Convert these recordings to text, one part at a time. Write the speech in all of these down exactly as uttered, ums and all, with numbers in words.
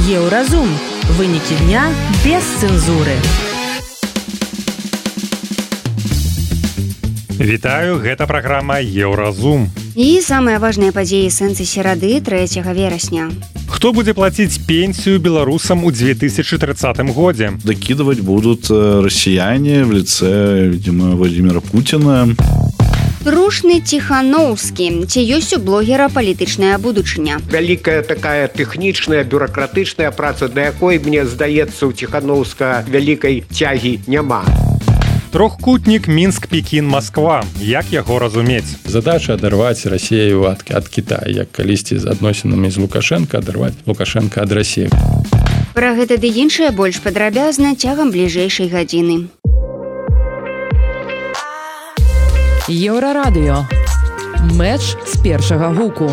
Еўразум. Вынікі дня без цэнзуры. Вітаю, гэта праграма Еўразум. І самыя важныя падзеі сэнсы серады трэцяга верасня. Хто будзе плаціць пенсію беларусам у две тысячи тридцатом годзе? Докидывать будут россияне в лице, видимо, Владимира Путина. Трушны Ціхановскі. Ці ёсць у блогера палітычная будучыня? Вялікая такая тэхнічная, бюракратычная праца, да якой, мне здаецца, у Ціхановска вялікай цягі няма. Трохкутнік Мінск-Пекін-Масква. Як яго разумець? Задача адарваць Расію ад, ад Китая, як калісьці з адносінамі з Лукашенко адарваць Лукашенко ад Расіі. Пра гэта ды іншае больш падрабязна цягам бліжэйшай гадзіны. Еўрарадыё. Мэч з першага гуку.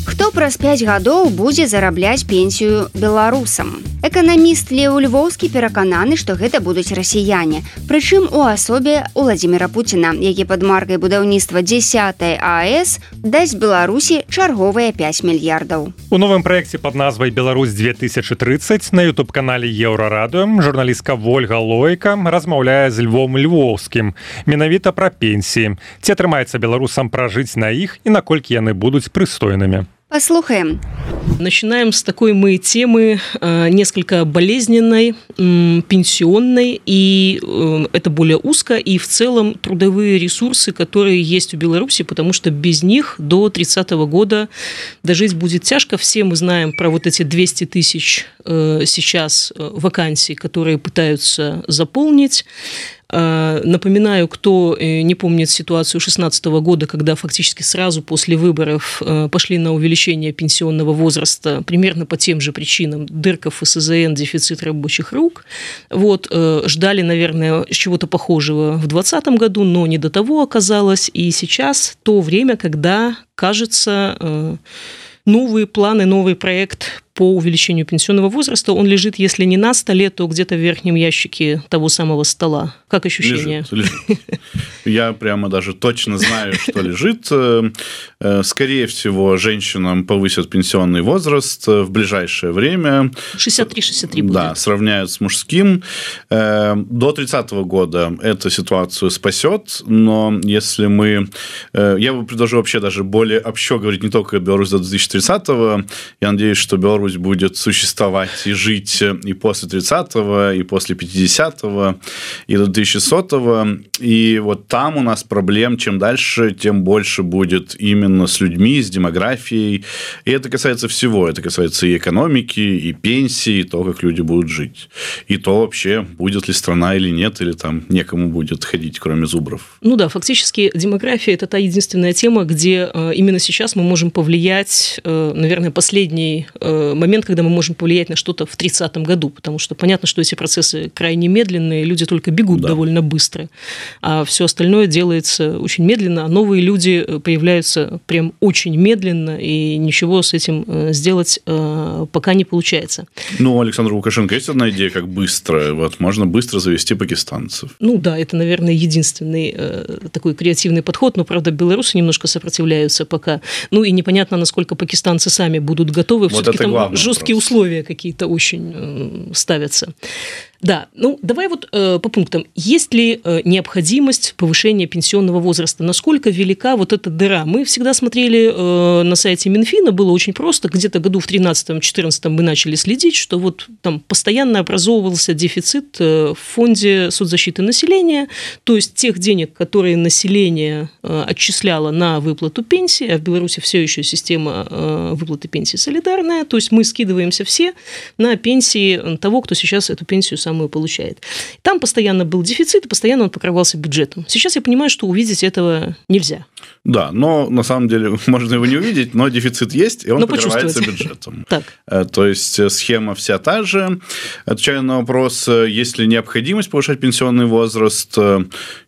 Хто праз пяць гадоў будзе зарабляць пенсію беларусам? Эканаміст Леў Львоўскі перакананы, што гэта будуць расіяне. Прычым у асобе Уладзіміра Пуціна, які пад маркай будаўніцтва дзесятай АЭС дасць Беларусі чарговыя пяць мільярдаў. У новым праекце пад назвай «Беларусь две тысячи тридцать» на ютуб-канале Еўрарадыё журналістка Вольга Лойка размаўляе з Львом Львоўскім менавіта пра пенсіі. Ці атрымаецца беларусам пражыць на іх і наколькі яны будуць прыстойнымі? Послушаем. Начинаем с такой мы темы э, несколько болезненной, э, пенсионной, и э, это более узко, и в целом трудовые ресурсы, которые есть у Беларуси, потому что без них до тридцатого года дожить будет тяжко. Все мы знаем про вот эти двести тысяч э, сейчас вакансий, которые пытаются заполнить. Напоминаю, кто не помнит ситуацию две тысячи шестнадцатого года, когда фактически сразу после выборов пошли на увеличение пенсионного возраста примерно по тем же причинам. Дырка в эф эс зэ эн, дефицит рабочих рук. Вот, ждали, наверное, чего-то похожего в двадцатом году, но не до того оказалось. И сейчас то время, когда, кажется, новые планы, новый проект по увеличению пенсионного возраста, он лежит, если не на столе, то где-то в верхнем ящике того самого стола. Как ощущение? Лежит, лежит. Я прямо даже точно знаю, что лежит. Скорее всего, женщинам повысят пенсионный возраст в ближайшее время. шестьдесят три шестьдесят три будет. Да, сравняют с мужским. До тридцатого года эту ситуацию спасет, но если мы... Я бы предложил вообще даже более общо говорить не только Беларусь до две тысячи тридцатого. Я надеюсь, что Беларусь будет существовать и жить и после тридцатого, и после пятидесятого, и до две тысячи сотого. И вот там у нас проблем, чем дальше, тем больше будет именно с людьми, с демографией. И это касается всего. Это касается и экономики, и пенсии, и того, как люди будут жить. И то вообще, будет ли страна или нет, или там некому будет ходить, кроме зубров. Ну да, фактически демография – это та единственная тема, где именно сейчас мы можем повлиять, наверное, последний момент, когда мы можем повлиять на что-то в тридцатом году, потому что понятно, что эти процессы крайне медленные, люди только бегут да. довольно быстро, а все остальное делается очень медленно, а новые люди появляются прям очень медленно, и ничего с этим сделать пока не получается. Ну, у Александра Лукашенко есть одна идея, как быстро, вот можно быстро завести пакистанцев. Ну да, это, наверное, единственный такой креативный подход, но, правда, белорусы немножко сопротивляются пока, ну и непонятно, насколько пакистанцы сами будут готовы, вот все-таки там жесткие вопрос. Условия какие-то очень э, ставятся. Да, ну давай вот э, по пунктам. Есть ли э, необходимость повышения пенсионного возраста? Насколько велика вот эта дыра? Мы всегда смотрели э, на сайте Минфина, было очень просто. Где-то году в тринадцатом-четырнадцатом мы начали следить, что вот там постоянно образовывался дефицит э, в фонде соцзащиты населения, то есть тех денег, которые население э, отчисляло на выплату пенсии, а в Беларуси все еще система э, выплаты пенсии солидарная, то есть мы скидываемся все на пенсии того, кто сейчас эту пенсию сам получает. Там постоянно был дефицит, и постоянно он покрывался бюджетом. Сейчас я понимаю, что увидеть этого нельзя. Да, но на самом деле можно его не увидеть, но дефицит есть, и он но покрывается бюджетом. Так. То есть схема вся та же. Отвечая на вопрос, есть ли необходимость повышать пенсионный возраст,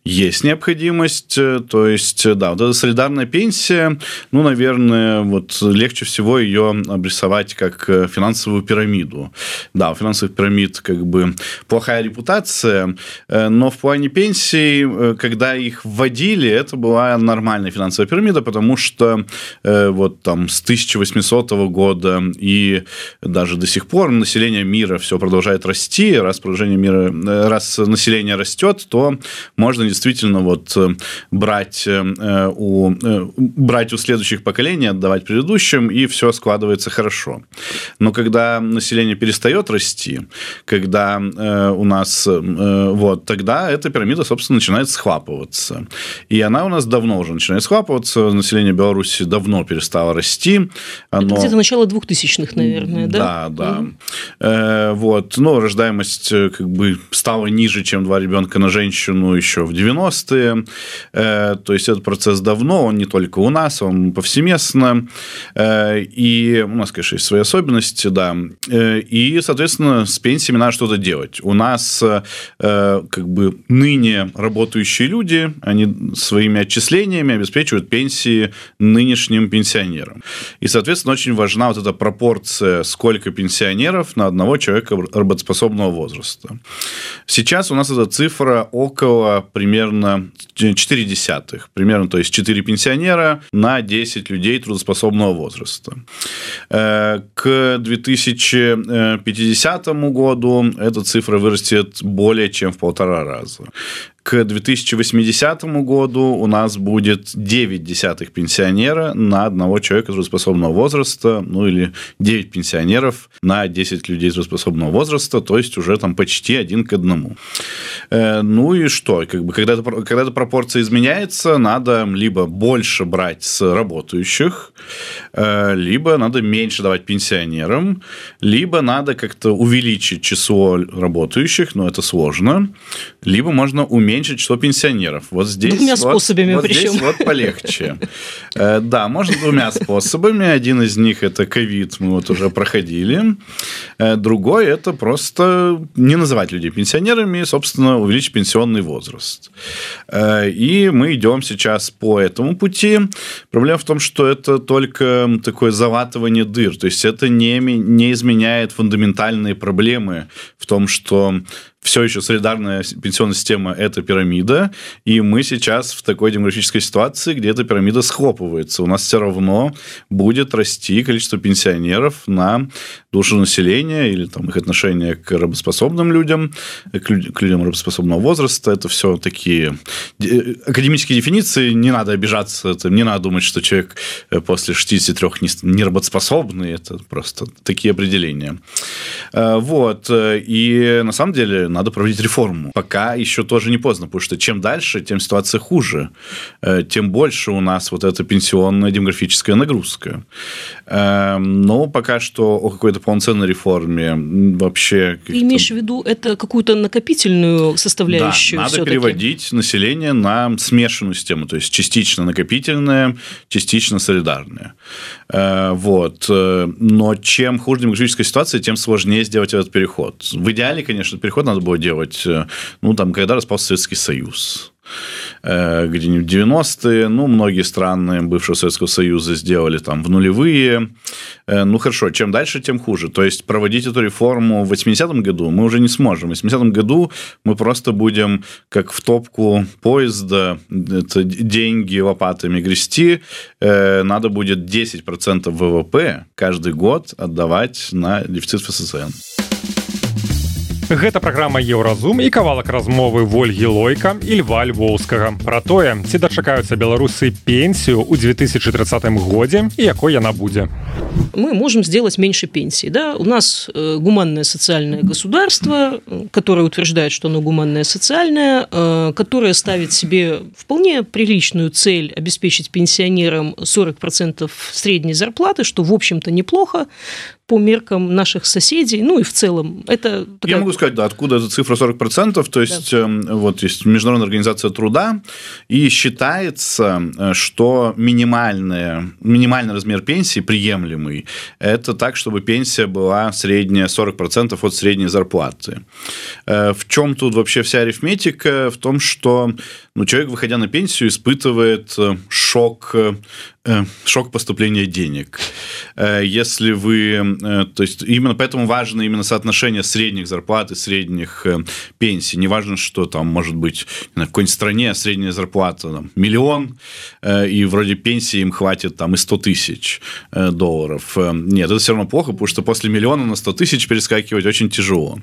есть необходимость. То есть, да, вот эта солидарная пенсия, ну, наверное, вот легче всего ее обрисовать как финансовую пирамиду. Да, у финансовых пирамид как бы плохая репутация, но в плане пенсий, когда их вводили, это была нормальная финансовая пирамида, потому что вот там с тысяча восьмисотого года и даже до сих пор население мира все продолжает расти, раз продолжение мира, раз население растет, то можно действительно вот брать у, брать у следующих поколений, отдавать предыдущим, и все складывается хорошо. Но когда население перестает расти, когда у нас вот, тогда эта пирамида, собственно, начинает схлапываться. И она у нас давно уже начинает схлапываться, население Беларуси давно перестало расти. Оно... Это где-то начало двухтысячных, наверное, да? Да, да. Mm-hmm. Вот, но рождаемость как бы стала ниже, чем два ребенка на женщину еще в девяностые. То есть этот процесс давно, он не только у нас, он повсеместно. И у нас, конечно, есть свои особенности, да. И, соответственно, с пенсиями надо что-то делать. У нас как бы ныне работающие люди, они своими отчислениями обеспечивают пенсии нынешним пенсионерам. И, соответственно, очень важна вот эта пропорция, сколько пенсионеров на одного человека работоспособного возраста. Сейчас у нас эта цифра около примерно четыре десятых. Примерно, то есть четыре пенсионера на десять людей трудоспособного возраста. К две тысячи пятидесятому году эта цифра вырастет более чем в полтора раза. К две тысячи восьмидесятому году у нас будет девять десятых пенсионера на одного человека трудоспособного возраста, ну или девять пенсионеров на десять людей трудоспособного возраста, то есть уже там почти один к одному. Ну и что? Как бы, когда, это, когда эта пропорция изменяется, надо либо больше брать с работающих, либо надо меньше давать пенсионерам, либо надо как-то увеличить число работающих, но это сложно, либо можно уменьшить число пенсионеров. Вот здесь, двумя вот, способами вот причем. Здесь вот полегче. Да, можно двумя способами. Один из них – это ковид, мы вот уже проходили. Другой – это просто не называть людей пенсионерами, собственно, увеличить пенсионный возраст. И мы идем сейчас по этому пути. Проблема в том, что это только такое залатывание дыр. То есть это не, не изменяет фундаментальные проблемы в том, что все еще солидарная пенсионная система – это пирамида, и мы сейчас в такой демографической ситуации, где эта пирамида схлопывается. У нас все равно будет расти количество пенсионеров на душу населения или там, их отношение к работоспособным людям, к людям работоспособного возраста. Это все такие академические дефиниции, не надо обижаться, не надо думать, что человек после шестидесяти трёх не работоспособный, это просто такие определения. Вот. И на самом деле надо проводить реформу. Пока еще тоже не поздно, потому что чем дальше, тем ситуация хуже, тем больше у нас вот эта пенсионная демографическая нагрузка. Но пока что о какой-то полноценной реформе вообще... Ты имеешь в виду это какую-то накопительную составляющую? Да, надо все-таки переводить население на смешанную систему, то есть частично накопительная, частично солидарная. Вот. Но чем хуже демографическая ситуация, тем сложнее сделать этот переход. В идеале, конечно, переход надо было делать, ну, там, когда распался Советский Союз. Где-нибудь в девяностые, ну, многие страны бывшего Советского Союза сделали там в нулевые. Ну, хорошо, чем дальше, тем хуже. То есть проводить эту реформу в восьмидесятом году мы уже не сможем. В восьмидесятом году мы просто будем, как в топку поезда, это деньги лопатами грести, надо будет десять процентов ВВП каждый год отдавать на дефицит ФССН. Гэта праграма Еўразум і кавалак размовы Вольгі Лойка і Льва Львоўскага пра тое, ці дачакаюцца беларусы пенсію ў две тысячи тридцатым годзе і якой яна будзе. Мы можем сделать меньше пенсий. Да? У нас гуманное социальное государство, которое утверждает, что оно гуманное социальное, которое ставит себе вполне приличную цель обеспечить пенсионерам сорок процентов средней зарплаты, что, в общем-то, неплохо по меркам наших соседей, ну и в целом это... Такая... Я могу сказать, да, откуда эта цифра сорок процентов, то есть, да. Вот есть Международная организация труда, и считается, что минимальный, минимальный размер пенсии приемлемый, это так, чтобы пенсия была средняя сорок процентов от средней зарплаты. В чем тут вообще вся арифметика? В том, что но человек, выходя на пенсию, испытывает шок, шок поступления денег. Если вы... То есть именно поэтому важно именно соотношение средних зарплат и средних пенсий. Не важно, что там может быть в какой-нибудь стране средняя зарплата там, миллион, и вроде пенсии им хватит там и сто тысяч долларов. Нет, это все равно плохо, потому что после миллиона на сто тысяч перескакивать очень тяжело.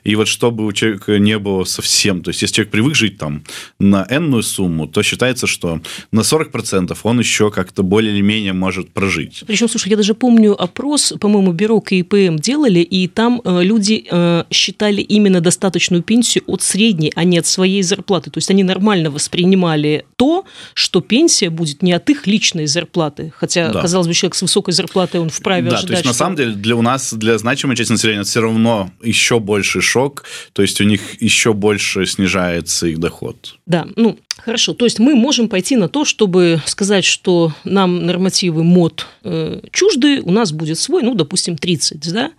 И вот чтобы у человека не было совсем... То есть если человек привык жить там на энную сумму, то считается, что на сорок процентов он еще как-то более или менее может прожить. Причем, слушай, я даже помню опрос, по-моему, бюро ка и пэ эм делали, и там э, люди э, считали именно достаточную пенсию от средней, а не от своей зарплаты. То есть они нормально воспринимали то, что пенсия будет не от их личной зарплаты. Хотя, да. казалось бы, человек с высокой зарплатой, он вправе да, ожидать, то есть, на что... самом деле, для у нас, для значимой части населения, это все равно еще больший шок, то есть у них еще больше снижается их доход. Да, ну, хорошо. То есть мы можем пойти на то, чтобы сказать, что нам нормативы МОД э, чужды, у нас будет свой, ну, допустим, тридцать, да?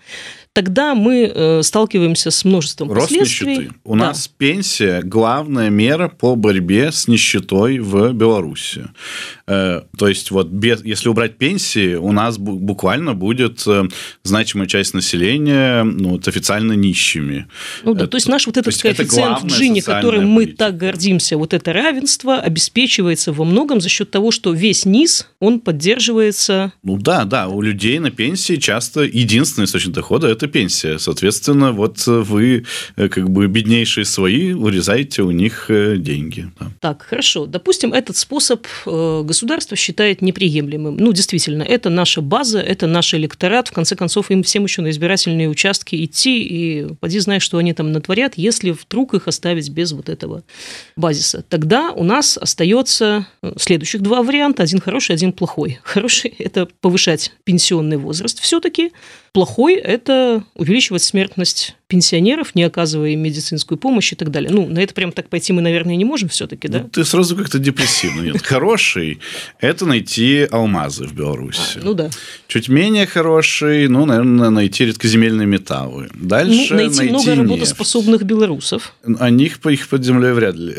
Тогда мы э, сталкиваемся с множеством Рост последствий. нищеты. У да. нас пенсия – главная мера по борьбе с нищетой в Беларуси. Э, то есть, вот без, если убрать пенсии, у нас бу- буквально будет э, значимая часть населения ну, вот, официально нищими. Ну да, это, то есть наш вот этот то коэффициент Джини, которым мы политика. так гордимся, вот это равенство обеспечивается во многом за счет того, что весь низ, он поддерживается... Ну да, да, у людей на пенсии часто единственный источник дохода – это пенсия. Соответственно, вот вы, как бы, беднейшие свои, урезаете у них деньги. Да. Так, хорошо. Допустим, этот способ государство считает неприемлемым. Ну, действительно, это наша база, это наш электорат. В конце концов, им всем еще на избирательные участки идти, и поди знай, что они там натворят, если вдруг их оставить без вот этого базиса. Тогда у нас остается следующих два варианта. Один хороший, один плохой. Хороший – это повышать пенсионный возраст все-таки. Плохой – это увеличивать смертность пенсионеров, не оказывая им медицинскую помощь и так далее. Ну, на это прям так пойти мы, наверное, не можем все-таки, да? Ну, ты сразу как-то депрессивно. Нет, хороший – это найти алмазы в Беларуси. А, ну да. Чуть менее хороший, ну, наверное, найти редкоземельные металлы. Дальше ну, найти, найти много нефть. работоспособных белорусов. А них, их под землей вряд ли.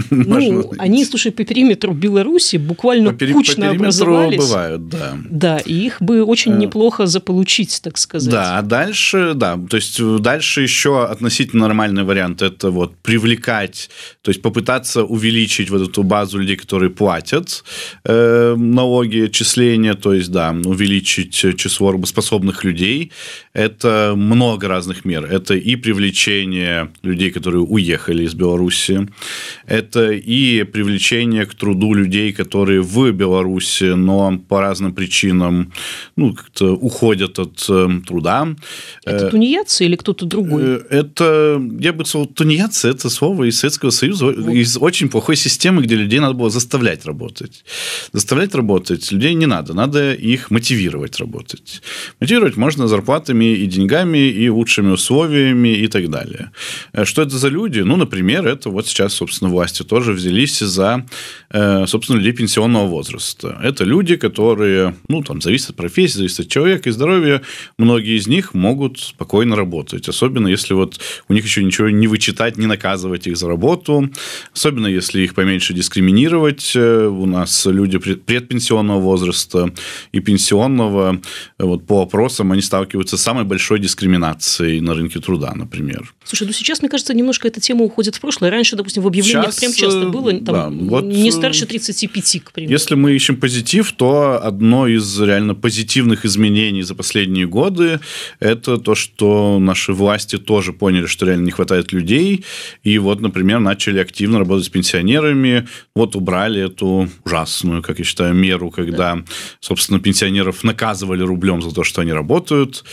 Ну, они, слушай, по периметру Беларуси буквально по пери- кучно по образовались. Бывают, да. Да, и их бы очень неплохо заполучить, так сказать. Да, а дальше, да, то есть дальше еще относительно нормальный вариант – это вот привлекать, то есть попытаться увеличить вот эту базу людей, которые платят э, налоги, отчисления, то есть, да, увеличить число работоспособных людей. Это много разных мер. Это и привлечение людей, которые уехали из Беларуси, это и привлечение к труду людей, которые в Беларуси, но по разным причинам ну, как-то уходят от э, труда. Это тунеядцы или кто-то другой? Это, я бы сказал, тунеядцы – это слово из Советского Союза, вот. Из очень плохой системы, где людей надо было заставлять работать. Заставлять работать людей не надо, надо их мотивировать работать. Мотивировать можно зарплатами и деньгами, и лучшими условиями, и так далее. Что это за люди? Ну, например, это вот сейчас, собственно, власти тоже взялись за, собственно, людей пенсионного возраста. Это люди, которые, ну, там, зависят от профессии, зависят от человека и здоровья. Многие из них могут спокойно работать. Особенно, если вот у них еще ничего не вычитать, не наказывать их за работу. Особенно, если их поменьше дискриминировать. У нас люди предпенсионного возраста и пенсионного, вот, по опросам, они сталкиваются с самой большой дискриминацией на рынке труда, например. Слушай, ну сейчас, мне кажется, немножко эта тема уходит в прошлое. Раньше, допустим, в объявлениях сейчас, прям часто было там, да, вот, не старше тридцати пяти, к примеру. Если мы ищем позитив, то одно из реально позитивных изменений за последние годы – это то, что наши власти тоже поняли, что реально не хватает людей, и вот, например, начали активно работать с пенсионерами, вот убрали эту ужасную, как я считаю, меру, когда, да. собственно, пенсионеров наказывали рублем за то, что они работают,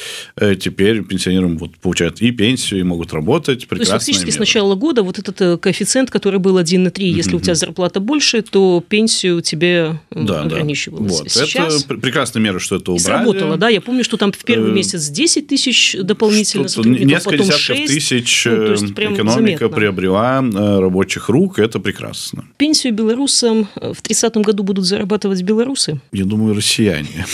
теперь пенсионерам вот получают и пенсию, и могут работать, прекрасная То есть, фактически, мера. С начала года вот этот коэффициент, который был один и три, если mm-hmm. у тебя зарплата больше, то пенсию тебе да, ограничивалось. Да. Вот. Сейчас... Это прекрасная мера, что это убрали. Сработало, да, я помню, что там в первый месяц десять тысяч дополнительно сотрудников, несколько потом десятков шесть. тысяч Ну, то есть, экономика заметно. приобрела рабочих рук, это прекрасно. Пенсию белорусам в тридцатом году будут зарабатывать белорусы? Я думаю, россияне.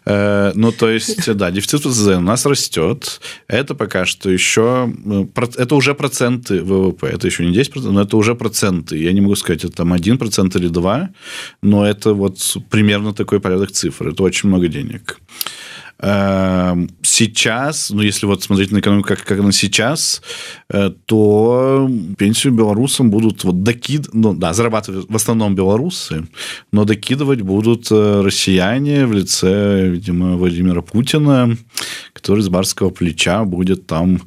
Ну, то есть, да, дефицит ВЗЗ у нас растет. Это пока что еще... Это уже проценты ВВП. Это еще не десять процентов, но это уже проценты. Я не могу сказать, это там один процент или два, но это вот примерно такой порядок цифр. Это очень много денег. Сейчас, ну, если вот смотреть на экономику, как, как она сейчас, то пенсию белорусам будут вот докид... ну, да, зарабатывать в основном белорусы, но докидывать будут россияне в лице, видимо, Владимира Путина, который с барского плеча будет там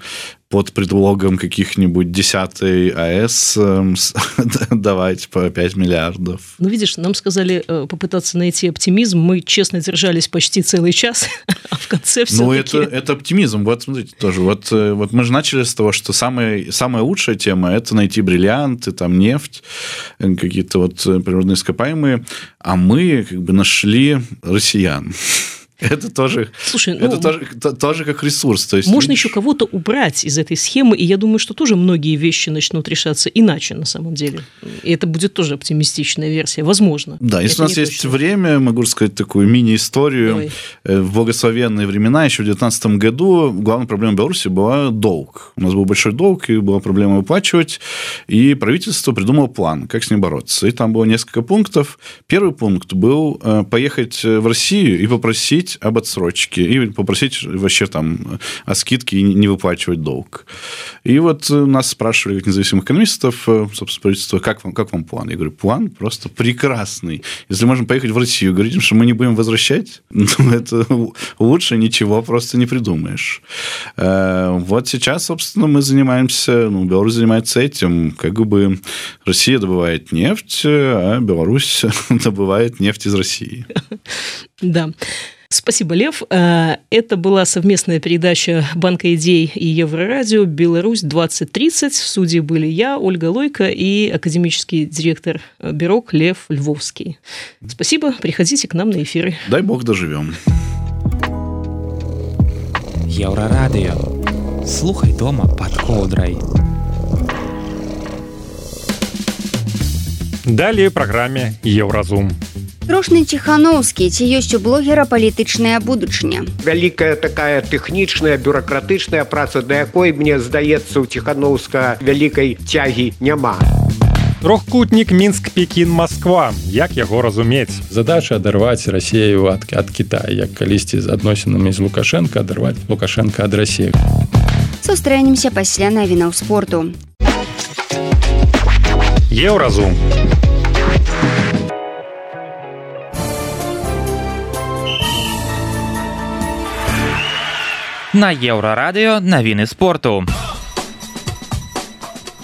под предлогом каких-нибудь десятой АЭС давать по пять миллиардов. Ну, видишь, нам сказали попытаться найти оптимизм. Мы честно держались почти целый час, а в конце все-таки... Ну, это, это оптимизм. Вот, смотрите, тоже. Вот, вот мы же начали с того, что самая, самая лучшая тема – это найти бриллианты, там, нефть, какие-то вот природные ископаемые, а мы как бы нашли россиян. Это тоже, Слушай, ну, это тоже, то, тоже как ресурс. То есть, можно видишь... еще кого-то убрать из этой схемы, и я думаю, что тоже многие вещи начнут решаться иначе на самом деле. И это будет тоже оптимистичная версия, возможно. Да, если это у нас есть точно. время, могу рассказать такую мини-историю. Давай. В благословенные времена, еще в две тысячи девятнадцатом году, главная проблема Беларуси была долг. У нас был большой долг, и была проблема выплачивать, и правительство придумало план, как с ним бороться. И там было несколько пунктов. Первый пункт был поехать в Россию и попросить об отсрочке и попросить вообще там о скидке и не выплачивать долг. И вот нас спрашивали, как независимых экономистов, собственно, правительство, как вам, как вам план? Я говорю, план просто прекрасный. Если можем поехать в Россию, говорить, что мы не будем возвращать, ну, это лучше ничего просто не придумаешь. Вот сейчас, собственно, мы занимаемся, ну, Беларусь занимается этим, как бы Россия добывает нефть, а Беларусь добывает нефть из России. Да. Спасибо, Лев. Это была совместная передача Банка идей и Еврорадио «Беларусь двадцать тридцать». В студии были я, Ольга Лойко, и академический директор Бирок Лев Львовский. Спасибо. Приходите к нам на эфиры. Дай бог доживем. Еврорадио. Слухай дома под ковдрой. Далее в программе Евразум. Трошны Ціханаўскі, ці ёсць у блогера палітычная будучыня? Вялікая такая тэхнічная, бюракратычная праца, да якой, мне здаецца, у Ціханаўска вялікай цягі няма. Трохкутнік Мінск-Пекін-Масква. Як яго разумець? Задача адарваць Расею ад, ад Китая, як калісьці з адносінамі з Лукашенко адарваць Лукашенко ад Расеі. Сустрэнемся пасля навінаў спорту. Еўразум. На Еўрарадыё навіны спорту.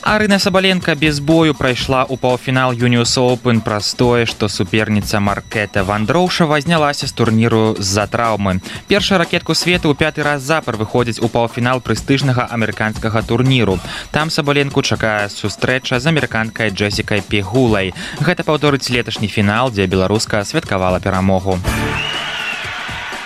Арына Сабаленко без бою прайшла ў паўфінал Юніус Оўпен праз тое, што суперніца Маркета Вандроўшава знялася з турніру з-за траўмы. Першая ракетку свету ў пяты раз запар выходзіць у паўфінал прэстыжнага амерыканскага турніру. Там Сабаленку чакае сустрэча з амерыканкай Джесікай Пегулай. Гэта паўторыць леташні фінал, дзе беларуска святкавала перамогу.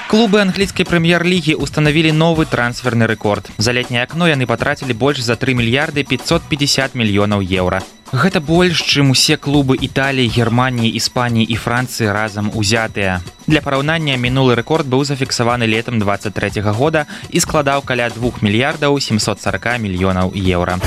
Клубы англійскай прэм'ер-лігі устанавілі новы трансферны рэкорд. За летняе акно яны патрацілі больш за тры мільярды пятьсот пятьдесят мільёнаў еўра. Гэта больш, чым усе клубы Італіі, Германіі, Іспаніі і Францыі разам узятыя. Для параўнання, мінулы рэкорд быў зафіксаваны летам двадцать трэцяга года і складаў каля двух мільярдаў семьсот сорок мільёнаў еўра.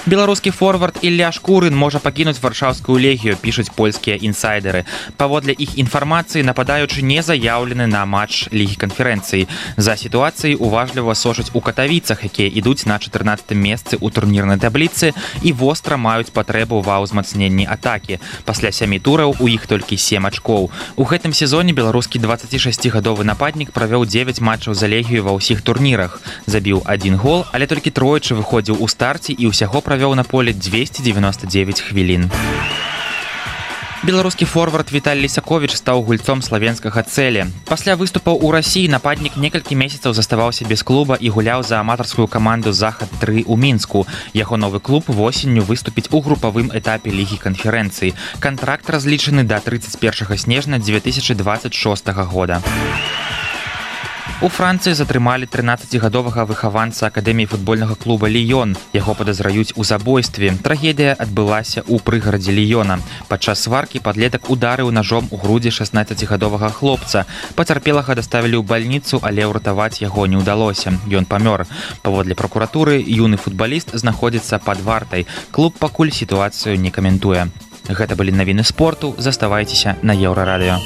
Беларускі форвард Ілля Шкурын можа пакінуць варшаўскую легію, пішуць польскія інсайдеры. Паводле іх інфармацыі, нападаючы не заяўлены на матч Лігі канферэнцыі. За сітуацыяй уважліва сочаць у Катавіцах, якія ідуць на чатырнаццатым месцы ў турнірнай табліцы і востра маюць патрэбу ва ўзмацненні атакі. Пасля сямі тураў у іх толькі сем ачкоў. У гэтым сезоне беларускі дваццацішасцігадовы нападнік правёў дзевяць матчаў за легію ва ўсіх турнірах. Забіў адзін гол, але толькі тройчы выходзіў у старце і ўсяго правёў на поле двести девяносто девять хвілін. Беларускі форвард Віталь Лісаковіч стаў гульцом славенскага Цэлі. Пасля выступаў у Расіі нападнік некалькі месяцаў заставаўся без клуба і гуляў за аматарскую каманду Захад тры ў Мінску. Яго новы клуб восенню выступіць у групавым этапе Лігі канферэнцыі. Кантракт разлічаны да тридцать первого снежня две тысячи двадцать шестого года. У Францыі затрымалі трынаццацігадовага выхаванца акадэміі футбольнага клуба «Ліён». Яго падазраюць у забойстве. Трагедыя адбылася ў прыгарадзе Ліёна. Падчас сваркі падлетак ударыў ножом у грудзі шаснаццацігадовага хлопца. Пацярпелага даставілі ў бальніцу, але ўратаваць яго не ўдалося. Ён памёр. Паводле пракуратуры, юны футбаліст знаходзіцца пад вартай. Клуб пакуль сітуацыю не каментуе. Гэта былі навіны спорту. Заставайцеся на Еўрарадыё.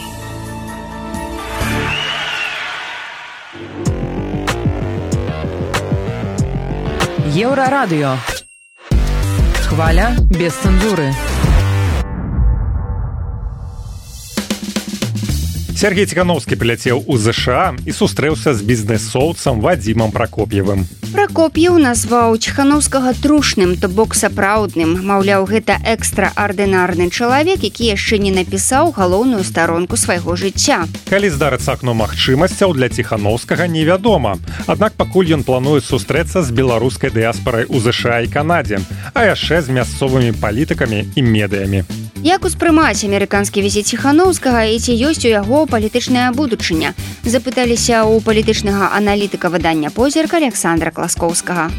Еўрарадыё. Хваля без цэнзуры. Сергей Ціхановскі прыляцеў у ЗША і сустрэўся з бізнэсоўцам Вадзімам Пракоп'евым. Пракоп'еў назваў Ціхановскага трушным, то бок сапраўдным. Маўляў, гэта экстраардынарны чалавек, які яшчэ не напісаў галоўную старонку свайго жыцця. Калі здарыцца акно магчымасцяў для Ціхановскага, невядома. Аднак пакуль ён плануе сустрэцца з беларускай дыяспарай у ЗША і Канадзе, а яшчэ з мясцовымі палітыкамі і медыямі. Як успрымаць амерыканскі візіт Ціхановскага і ці ёсць у яго палітычная будучыня? Запыталіся ў палітычнага аналітыка выдання «Позірк» Александра Класкоўскага.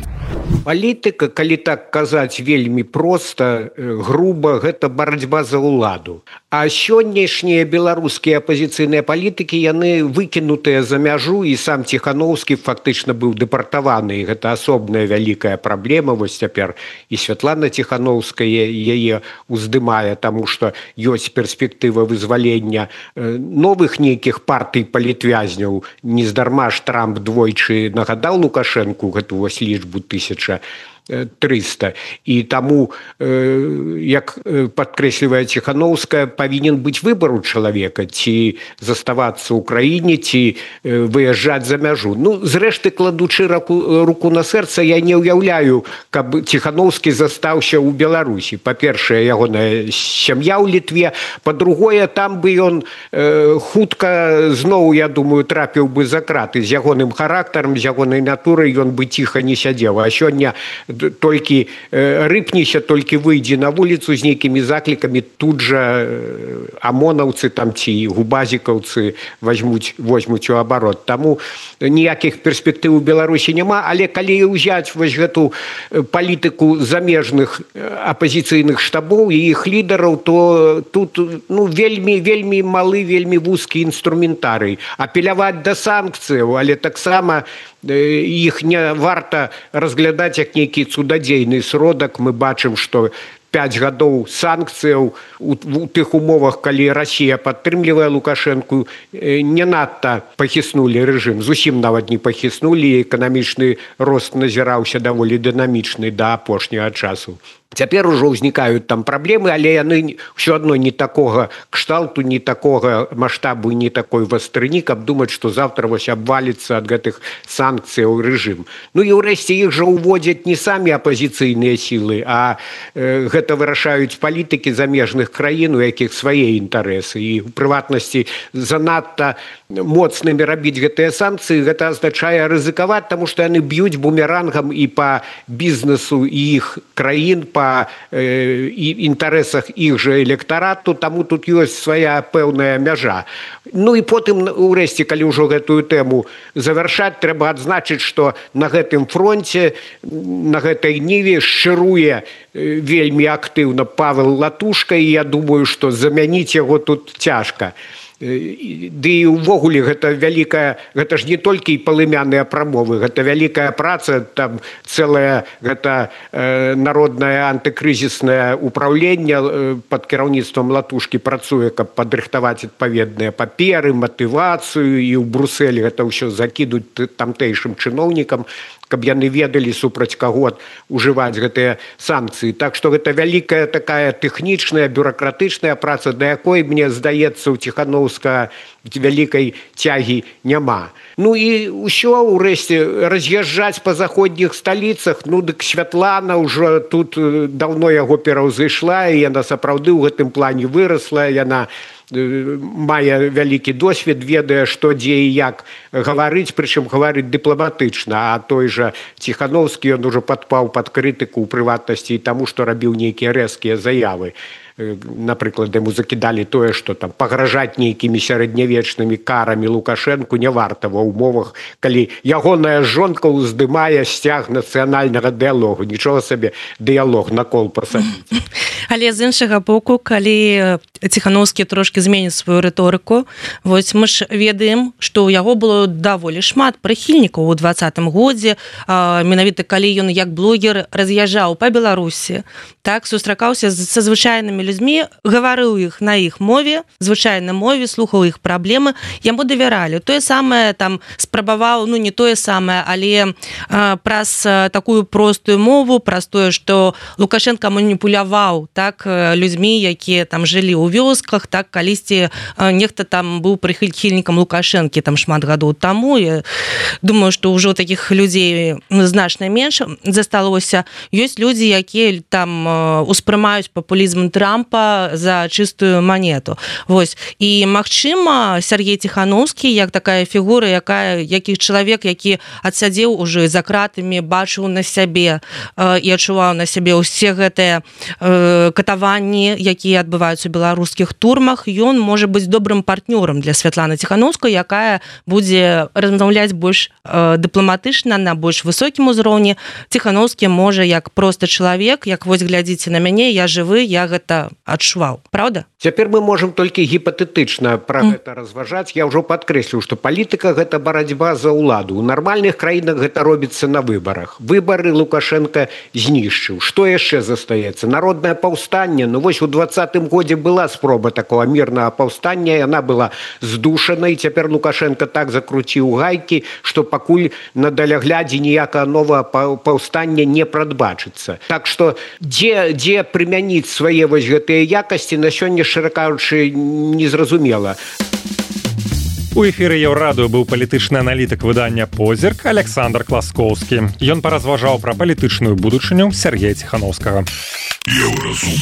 Палітыка, калі так казаць вельмі проста, груба, гэта барацьба за ўладу. А сённяшнія беларускія апазіцыйныя палітыкі, яны выкінутыя за мяжу, і сам Ціхановскі фактычна быў дэпартаваны. Гэта асобная вялікая праблема. Вось цяпер і Святлана Ціхановская яе уздымае, таму што ёсць перспектыва вызвалення новых нейкіх партый палітвязняў. Нездарма ж Трамп двойчы нагадаў Лукашэнку гэту вось лічбу тысяча трыста. І таму, як падкрэслівае Ціхановская, павінен быць выбар у чалавека, ці заставацца ў краіне, ці выязджаць за мяжу. Ну, зрэшты, кладучы руку, руку на сэрца, я не ўяўляю, каб Ціхановскі застаўся ў Беларусі. Па-першае, ягоная сям'я ў Літве. Па-другое, там бы ён э, хутка зноў, я думаю, трапіў бы за краты. З ягоным характарам, з ягонай натурай ён бы ціха не сядзеў. А сёння толькі э, рыпніся, толькі выйдзе на вуліцу з нейкімі заклікамі, тут жа э, амонаўцы там ці губазікаўцы возьмуць, возьмуць у абарот. Таму ніякіх перспектыў у Беларусі няма, але калі ўзяць вось гэту палітыку замежных апазіцыйных штабоў і іх лідараў, то тут ну, вельмі, вельмі малы, вельмі вузкі інструментарый. Апеляваць да санкцыяў, але таксама іх не варта разглядаць як нейкі цудадзейны сродак. Мы бачым, што пяць гадоў санкцыяў у, у тых умовах, калі Расія падтрымлівае Лукашэнку, не надта пахіснулі рэжым, зусім нават не пахіснулі, эканамічны рост назіраўся даволі дынамічны да апошняга часу. Цяпер ужо ўзнікаюць там праблемы, але яны ўсё адно не такога кшталту, не такога маштабу, не такой вастрыні, каб думаць, што завтра вось абваліцца ад гэтых санкцыяў рэжым. Ну і ўрэшце іх жа уводзяць не самі апазіцыйныя сілы, а э, гэта вырашаюць палітыкі замежных краін, у якіх свае інтарэсы. І у прыватнасці занадта моцнымі рабіць гэтыя санкцыі, гэта азначае рызыкаваць, таму што яны б'юць бумерангам і па бізнесу і іх краін, па э, інтарэсах іх жа электарату, таму тут ёсць свая пэўная мяжа. Ну і потым, урэшце, калі ўжо гэтую тэму завяршаць, трэба адзначыць, што на гэтым фронце, на гэтай ніве шчыруе вельмі актыўна Павел Латушка, і я думаю, што замяніць яго тут цяжка. Ды і ўвогуле гэта вялікая, гэта ж не толькі палымяныя прамовы, гэта вялікая праца, там цэлае гэта э, народнае антыкрызіснае ўпраўленне э, пад кіраўніцтвам Латушкі працуе, каб падрыхтаваць адпаведныя паперы, матывацыю, і ў Брусэлі гэта ўсё закідуць тамтэйшым чыноўнікам, каб яны ведалі, супраць каго ужываць гэтыя санкцыі. Так што гэта вялікая такая тэхнічная, бюракратычная праца, да якой, мне здаецца, у Ціхановскага вялікай цягі няма. Ну і ўсё, урэшце, раз'язджаць па заходніх сталіцах, ну дык Святлана ўжо тут даўно яго пераўзышла, і яна сапраўды ў гэтым плане вырасла, яна мае вялікі досвед, ведае, што дзе і як гаварыць, прычым гаварыць дыпламатычна, а той жа Ціхановскі, ён ужо падпаў пад крытыку ў прыватнасці і таму, што рабіў нейкія рэзкія заявы. напрыклад, яму закідалі тое, што там пагражаць нейкімі сярэднявечнымі карамі Лукашэнку не варта ва ўмовах, калі ягоная жонка ўздымае сцяг нацыянальнага дыялогу. Нічога сабе дыялог на кол пасадзіць. Але з іншага боку, калі Ціхановскі трошкі зменіць сваю рыторыку, вось мы ж ведаем, што ў яго было даволі шмат прыхільнікаў у двадцатым годзе, менавіта калі ён як блогер раз'язджаў па Беларусі, так, сустракаўся са звычайнымі людзьмі, гаварыў іх на іх мове, звычайнай мове, слухаў іх праблемы, яму давяралі. Тое самае там спрабаваў, ну не тое самае, але а, праз такую простую мову, праз тое, што Лукашенко маніпуляваў так людзьмі, якія там жылі ў вёсках, так калісьці нехта там быў прыхільнікам Лукашэнкі там шмат гадоў таму. Я думаю, што ўжо такіх людзей значна менш засталося. Ёсць людзі, якія там успрымаюць папулізм Трампа за чыстую манету. Вось. І, магчыма, Сергей Ціхановскі, як такая фігура, якая, які чалавек, які адсядзеў ужо за кратамі, бачыў на сябе э, і адчуваў на сябе ўсе гэтыя э, катаванні, якія адбываюцца ў беларускіх турмах, ён можа быць добрым партнёрам для Святланы Ціхановскай, якая будзе размаўляць больш э, дыпламатычна, на больш высокім узроўні. Ціхановскі можа як просты чалавек, як вось глядзіце на мяне, я жывы, я гэта адчуваў. Праўда? Цяпер мы можам толькі гіпатэтычна пра mm. гэта разважаць. Я ўжо падкрэсліў, што палітыка – гэта барацьба за ўладу. У нармальных краінах гэта робіцца на выбарах. Выбары Лукашенко знішчыў. Што яшчэ застаецца? Народнае паўстанне. Ну вось у двадцатым годзе была спроба такого мірнага паўстання, яна была здушана, і цяпер Лукашенко так закруціў гайкі, што пакуль на даляглядзе ніякага новага паўстання не прадбачыцца. Так што дзе, дзе прымяніць свае вось гэтыя якасці на сёння, шчыра кажучы, незразумела. У эфіры Еўрадыё быў палітычны аналітык выдання «Позірк» Александр Класкоўскі. Ён паразважаў пра палітычную будучыню Сергея Ціхановскага. Еўразум.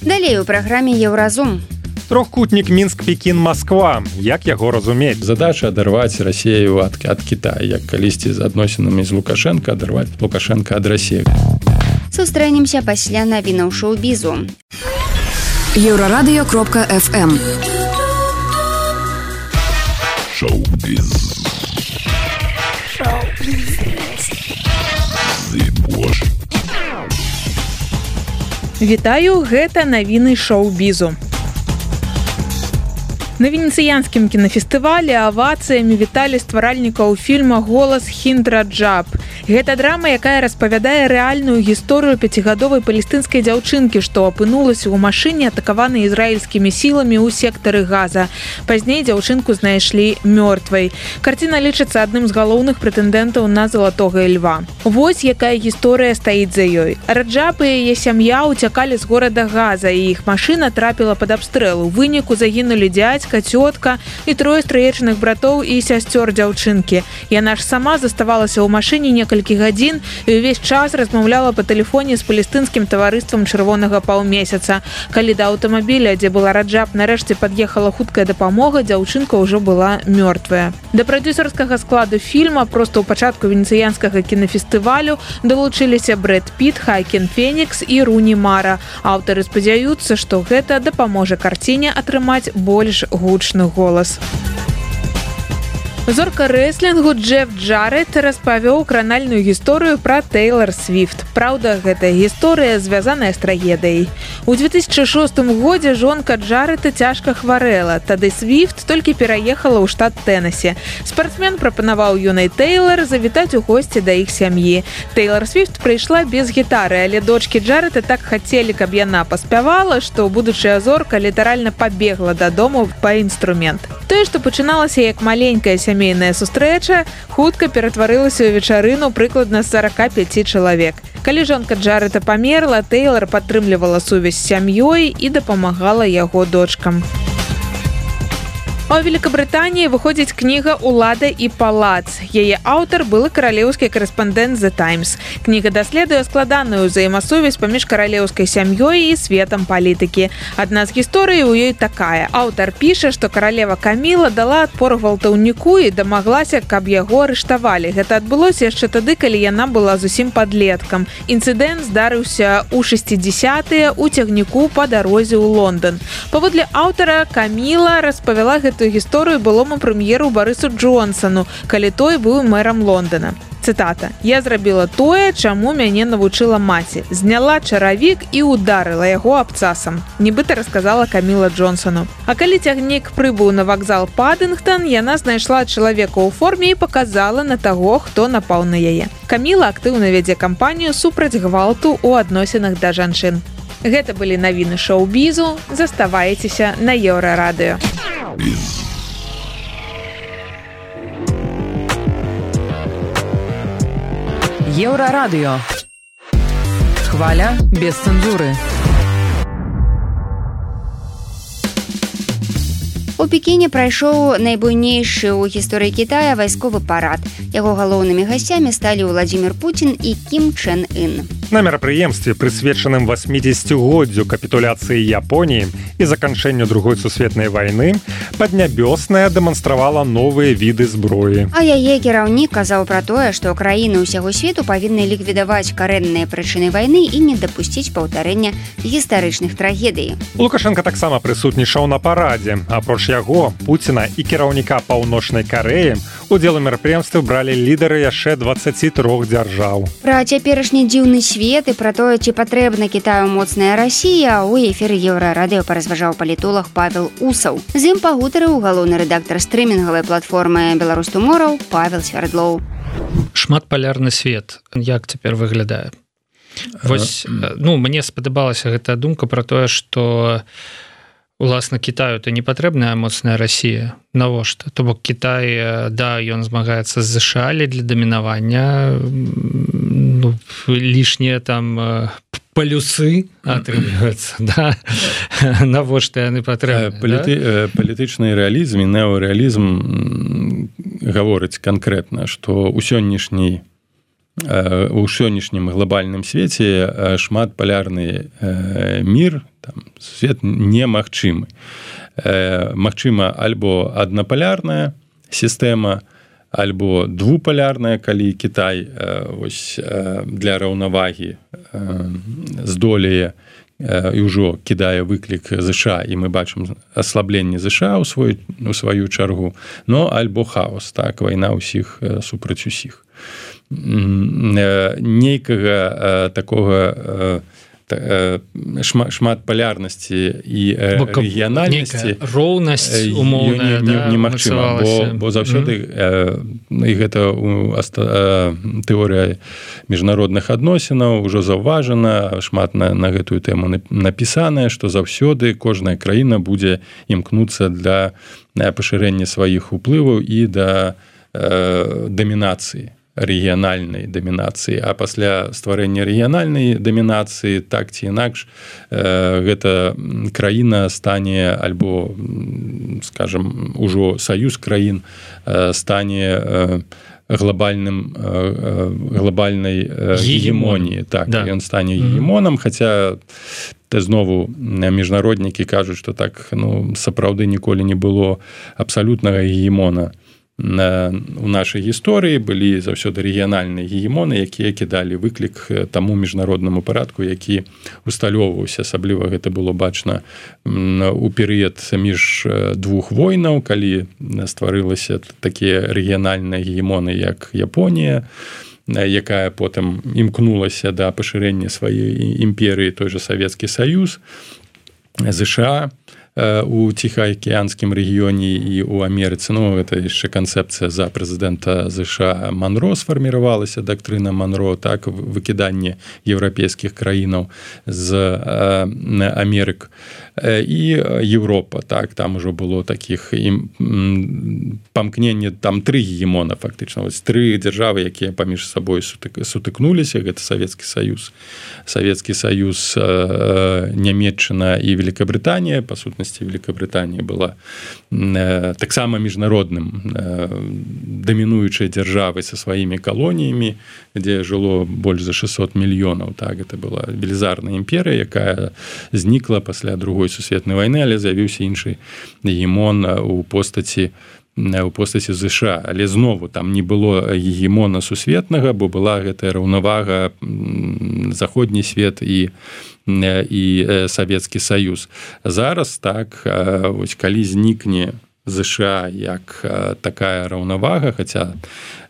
Далей у праграме «Еўразум». Трохкутнік Мінск-Пекін-Масква. Як яго разумець? Задача адарваць Расею ад, ад Китая, як калісьці з адносінамі з Лукашенко адарваць Лукашенко ад Расіі. Сустрэнемся пасля навінаў шоу-бізу. еўрарадыё кропка эф эм. Шоу-біз. Шоу-біз. Вітаю, гэта навіны шоу-бізу. На венецыянскім кінафестывалі авацыямі віталі стваральнікаў фільма «Голас Хінт-Раджаб». Гэта драма, якая распавядае рэальную гісторыю пяцігадовай палестынскай дзяўчынкі, што апынулася ў машыне, атакаванай ізраільскімі сіламі ў сектары Газа. Пазней дзяўчынку знайшлі мёртвай. Карціна лічыцца адным з галоўных прэтэндэнтаў на залатога льва. Вось якая гісторыя стаіць за ёй. Раджаб і яе сям'я ўцякалі з горада Газа, і іх машына трапіла пад абстрэл. У выніку загінулі дзядзька, цётка і трое стрыечных братоў і сясцёр дзяўчынкі. Яна ж сама заставалася ў машыне некалькі гадзін і ўвесь час размаўляла па тэлефоне з палестынскім таварыствам чырвонага паўмесяца. Калі да аўтамабіля, дзе была Раджаб, нарэшце пад'ехала хуткая дапамога, дзяўчынка ўжо была мёртвая. Да прадзюсарскага складу фільма проста ў пачатку венецыянскага кінафестывалю далучыліся Брэд Піт, Хаакін Фенікс і Руні Мара. Аўтары спадзяюцца, што гэта дапаможа карціне атрымаць больш гучны голас. Зорка рэслінгу Джеф Джаред распавёў кранальную гісторыю пра Тэйлар Свіфт. Праўда, гэтая гісторыя звязаная з трагедыяй. У две тысячы шостым годзе жонка Джареда цяжка хварэла. Тады Свіфт толькі пераехала ў штат Тэннесі. Спартсмен прапанаваў юнай Тэйлар завітаць у госці да іх сям'і. Тэйлар Свіфт прыйшла без гітары, але дочкі Джареда так хацелі, каб яна паспявала, што будучая зорка літаральна пабегла дадому па інструмент. Тое, што пачыналася як маленькая сямейная сустрэча, хутка ператварылася ў вечарыну прыкладна сорок пять чалавек. Калі жонка Джареда памерла, Тэйлар падтрымлівала сувязь з сям'ёй і дапамагала яго дочкам. А ў Великабрытаніі выходзіць кніга «Улада і палац». Яе аўтар былы каралеўскі корэспандэнт «The Times». Кніга даследуе складаную ўзаемасувязь паміж каралеўскай сям'ёй і светам палітыкі. Адна з гісторый у ёй такая. Аўтар піша, што каралева Каміла дала адпор гвалтаўніку і дамаглася, каб яго арыштавалі. Гэта адбылося яшчэ тады, калі яна была зусім падлеткам. Інцыдэнт здарыўся ў шэсцідзесятыя ў цягніку па дарозе ў Лондан. Паводле аўтара, Каміла распавяла гэту гісторыю былому прэм'еру Барысу Джонсону, калі той быў мэрам Лондона. Цытата. «Я зрабіла тое, чаму мяне навучыла маці. Зняла чаравік і ударыла яго абцасам», нібыта расказала Каміла Джонсону. А калі цягнік прыбыў на вакзал Паддынгтон, яна знайшла чалавека ў форме і паказала на таго, хто напаў на яе. Каміла актыўна вядзе кампанію супраць гвалту ў адносінах да жанчын. Гэта былі навіны шоу-бізу. Заставайцеся на Еўрарадыё. Еўрарадыё. Хваля без цэнзуры. У Пекіне прайшоў найбуйнейшы ў гісторыі Кітая вайсковы парад. Яго галоўнымі гасцямі сталі Владзімір Пуцін і Кім Чэн Ын. На мерапрыемстве, прысвечаным васьмідзесяцігоддзю капітуляцыі Японіі і заканчэнню другой сусветнай вайны, Паднябёсная дэманстравала новыя віды зброі. А яе кіраўнік казаў пра тое, што краіны ўсяго свету павінны ліквідаваць карэнныя прычыны вайны і не дапусціць паўтарэння гістарычных трагедый. Лукашенко таксама прысутнічаў на парадзе. Апроч яго, Пуціна і кіраўніка Паўночнай Карэі, удзел у мерапрыемстве бралі лідары яшчэ дваццаці трох дзяржаў. Пра цяперашні дзіўны свет і пра тое, ці патрэбна Кітаю моцная Расія, у эфіры Еўрарадыё паразважаў палітолог Павел Усаў. З ім пагутарыў галоўны рэдактар стрымінгавай платформы «Беларусь Туморроу» Павел Свярдлоў. Шматпалярны свет, як цяпер выглядае? Вось, ну, мне спадабалася гэтая думка пра тое, што уласна Кітаю то не патрэбная моцная Расія. Навошта? То бок Кітай, да, ён змагаецца з ЗША для дамінавання, ну, лішнія там палюсы атрымліваюцца, да? Навошта яны патрэбны? Паліты... Да? Палітычны рэалізм і неарэалізм гаворыць канкрэтна, што ў сённяшняй у сённяшнім глобальным свеце шматпалярны мір, там, свет немагчымы. Магчыма альбо аднапалярная сістэма, альбо двупалярная, калі Кітай вось, для раўнавагі здолее і ўжо кідае выклік ЗША, і мы бачым аслабленне ЗША ў свой, у сваю чаргу, но альбо хаос, так, вайна ўсіх супраць усіх. Нейкага такога шматпалярнасці і рэгіянальнасці, роўнасць умоўная, да, немагчыма, бо, бо заўсёды mm-hmm. і гэта тэорыя міжнародных адносінаў ужо заўважана, шмат на, на гэтую тэму напісаная, што заўсёды кожная краіна будзе імкнуцца для пашырэння сваіх уплываў і да э, дамінацыі, рэгіянальнай дамінацыі, а пасля стварэння рэгіянальнай дамінацыі, так ці інакш, э, гэта краіна стане, альбо, скажем, ужо саюз краін э, стане э, глобальным э, глобальнай э, гегемоніі. Так, да. Ён стане гегемонам, mm-hmm. хаця знову міжнароднікі кажуць, што так, ну, сапраўды ніколі не было абсалютнага гегемона. У нашай гісторыі былі заўсёды рэгіянальныя гегемоны, якія кідалі выклік таму міжнароднаму парадку, які усталёўваўся. Асабліва гэта было бачна у перыяд між двух войнаў, калі стварылася такія рэгіянальныя гегемоны, як Японія, якая потым імкнулася да пашырэння сваёй імперыі, той жа Савецкі Саюз, ЗША, у Ціхаакіянскім рэгіёне і ў Амерыцы. Ну, гэта яшчэ канцэпцыя за прэзідэнта ЗША Манро сфарміравалася, дактрына Манро, так, выкіданне еўрапейскіх краінаў з э, Амерык. І Еўропа, так, там ужо было такіх памкненне, там тры гегемона фактычна, вось тры дзяржавы, якія паміж сабой сутык, сутыкнуліся, гэта Савецкі Саюз, Савецкі Саюз, Нямецчына і Великабрытанія, па сутнасці сутнасці Великабрытанія была э, таксама міжнародным э, дамінуючай дзяржавай са сваімі калоніямі, дзе жыло больш за шэсцьсот мільёнаў. Так, это была велізарная імперыя, якая знікла пасля другой сусветнай вайны, але з'явіўся іншы гегемон у постаці у постаці ЗША, але знову там не было гегемона сусветнага, бо была гэтая раўнавага заходні свет і і Савецкі Саюз. Зараз так, вось калі знікне ЗША як такая раўнавага, хаця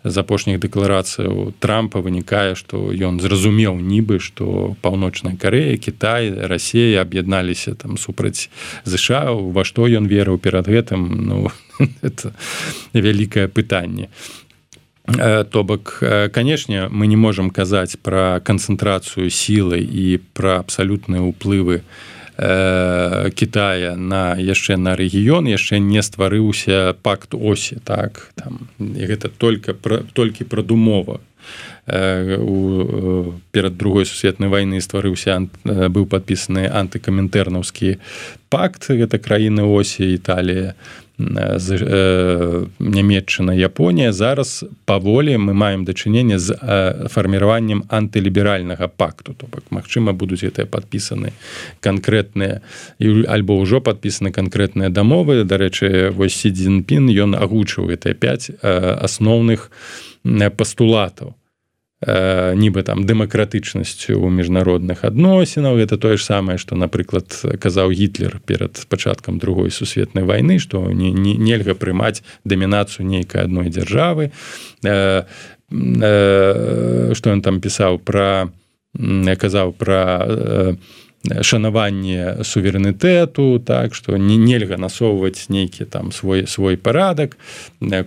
з апошніх дэкларацыяў Трампа вынікае, што ён зразумеў нібы, што Паўночная Карэя, Кітай, Расія аб'ядналіся там супраць ЗША, ва што ён верыў перад гэтым, ну, это вялікае пытанне. То бок, канешне, мы не можам казаць пра канцэнтрацыю сілы і пра абсалютныя ўплывы Китая на яшчэ на рэгіён, яшчэ не стварыўся пакт Осі, так, там, і гэта только пра, толькі прадумова. У, перад другой сусветнай вайны стварыўся, быў падпісаны антыкамінтэрнаўскі пакт, гэта краіны Осі, Італія, Нямецчына, Японія. Зараз паволі мы маем дачыненне з фарміраваннем антыліберальнага пакту. То бок, магчыма, будуць гэтыя падпісаны канкрэтныя, альбо ўжо падпісаны канкрэтныя дамовы. Дарэчы, вось Сі Цзіньпін, ён агучыў гэтыя пяць асноўных пастулатаў. Нібы там дэмакратычнасцю ў міжнародных адносінаў. Гэта тое ж самае, што, напрыклад, казаў Гітлер перад пачаткам другой сусветнай вайны, што не, не, нельга прымаць дамінацыю нейкай адной дзяржавы. Што ён там пісаў пра, казаў пра шанаванне суверэнітэту, так, што не, нельга насоўваць нейкі там свой, свой парадак.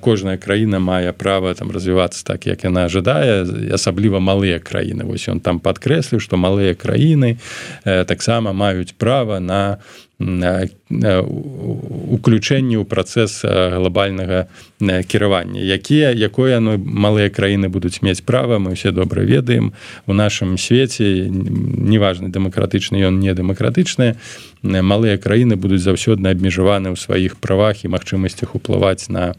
Кожная краіна мае права там развівацца так, як яна жадае, асабліва малыя краіны. Вось ён там падкрэсліў, што малыя краіны э, таксама маюць права на уключэнне ў працэс глобальнага кіравання. Якія, якое ну, малыя краіны будуць мець права, мы ўсе добра ведаем. У нашым свеце, неважна, дэмакратычны ён, не дэмакратычны, малыя краіны будуць заўсёды абмежаваны ў сваіх правах і магчымасцях уплываць на